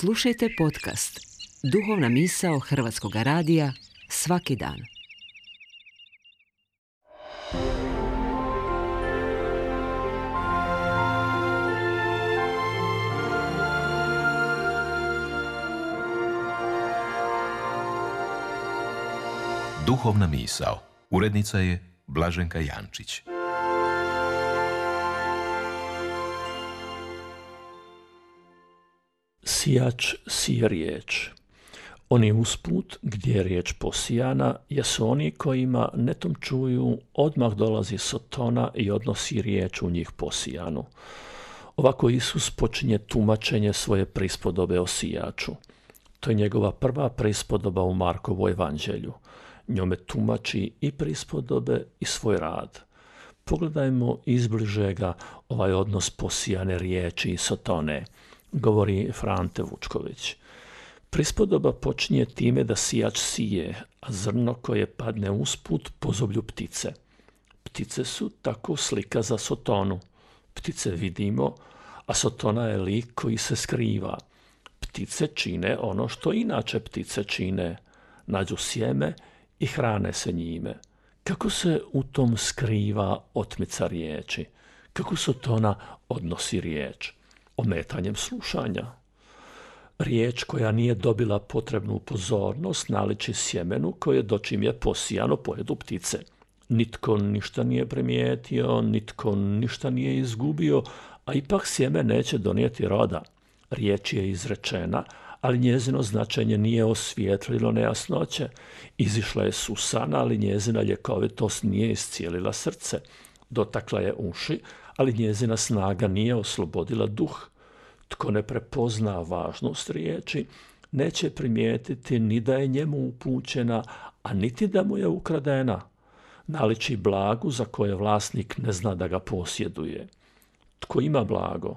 Slušajte podcast Duhovna misao Hrvatskog radija svaki dan. Duhovna misao. Urednica je Blaženka Jančić. Sijač sije riječ. Oni usput gdje je riječ posijana jesu oni kojima netom čuju odmah dolazi Sotona i odnosi riječ u njih posijanu. Ovako Isus počinje tumačenje svoje prispodobe o sijaču. To je njegova prva prispodoba u Markovu evanđelju. Njome tumači i prispodobe i svoj rad. Pogledajmo izbližega ovaj odnos posijane riječi i Sotone, govori Frante Vučković. Prispodoba počinje time da sijač sije, a zrno koje padne usput pozoblju ptice. Ptice su tako slika za Sotonu. Ptice vidimo, a Sotona je lik koji se skriva. Ptice čine ono što inače ptice čine. Nađu sjeme i hrane se njime. Kako se u tom skriva otmica riječi? Kako Sotona odnosi riječ? Ometanjem slušanja. Riječ koja nije dobila potrebnu pozornost naliči sjemenu koje dočim je posijano pojedu ptice. Nitko ništa nije primijetio, nitko ništa nije izgubio, a ipak sjeme neće donijeti roda. Riječ je izrečena, ali njezino značenje nije osvijetlilo nejasnoće. Izišla je susana, ali njezina ljekovitost nije iscijelila srce. Dotakla je uši, ali njezina snaga nije oslobodila duh. Tko ne prepozna važnost riječi, neće primijetiti ni da je njemu upućena, a niti da mu je ukradena. Naliči blagu za koje vlasnik ne zna da ga posjeduje. Tko ima blago,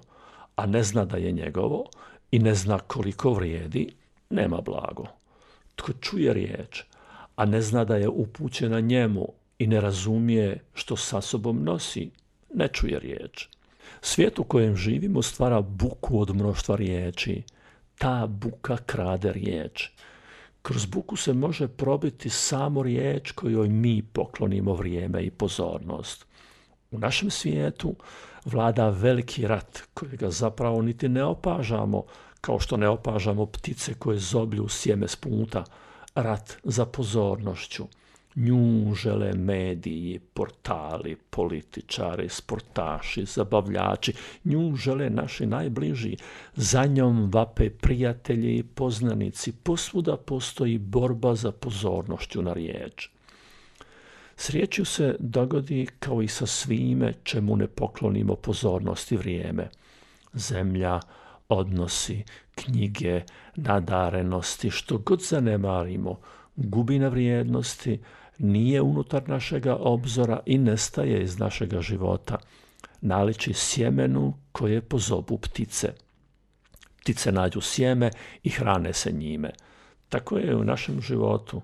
a ne zna da je njegovo i ne zna koliko vrijedi, nema blago. Tko čuje riječ, a ne zna da je upućena njemu i ne razumije što sa sobom nosi, ne čuje riječ. Svijet u kojem živimo stvara buku od mnoštva riječi. Ta buka krade riječ. Kroz buku se može probiti samo riječ kojoj mi poklonimo vrijeme i pozornost. U našem svijetu vlada veliki rat kojega zapravo niti ne opažamo, kao što ne opažamo ptice koje zoblju sjeme s puta. Rat za pozornošću. Nju žele mediji, portali, političari, sportaši, zabavljači. Nju žele naši najbliži. Za njom vape prijatelji i poznanici. Posvuda postoji borba za pozornošću na riječ. S riječju se dogodi kao i sa svime čemu ne poklonimo pozornost i vrijeme. Zemlja, odnosi, knjige, nadarenosti, što god zanemarimo, gubi na vrijednosti, nije unutar našega obzora i nestaje iz našega života. Naliči sjemenu koje pozobu ptice. Ptice nađu sjeme i hrane se njime. Tako je u našem životu.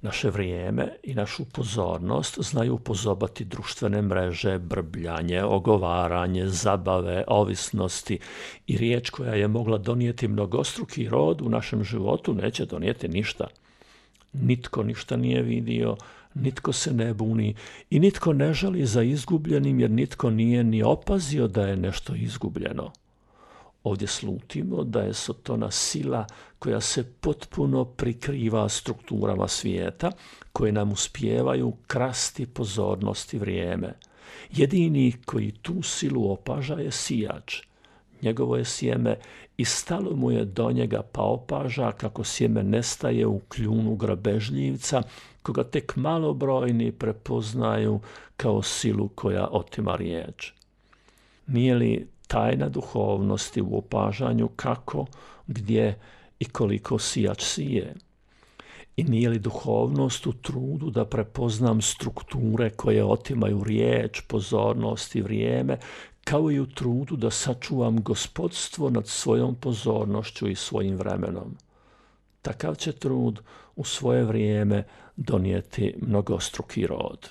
Naše vrijeme i našu pozornost znaju pozobati društvene mreže, brbljanje, ogovaranje, zabave, ovisnosti i riječ koja je mogla donijeti mnogostruki rod u našem životu neće donijeti ništa. Nitko ništa nije vidio, nitko se ne buni i nitko ne žali za izgubljenim jer nitko nije ni opazio da je nešto izgubljeno. Ovdje slutimo da je Sotona sila koja se potpuno prikriva strukturama svijeta, koje nam uspijevaju krasti pozornost i vrijeme. Jedini koji tu silu opaža je sijač. Njegovo je sjeme i stalo mu je do njega pa opaža kako sjeme nestaje u kljunu grabežljivca, koga tek malobrojni prepoznaju kao silu koja otima riječ. Nije li tajna duhovnosti u opažanju kako, gdje i koliko sijač sije? I nije li duhovnost u trudu da prepoznam strukture koje otimaju riječ, pozornost i vrijeme, kao i u trudu da sačuvam gospodstvo nad svojom pozornošću i svojim vremenom? Takav će trud u svoje vrijeme donijeti mnogostruki rod.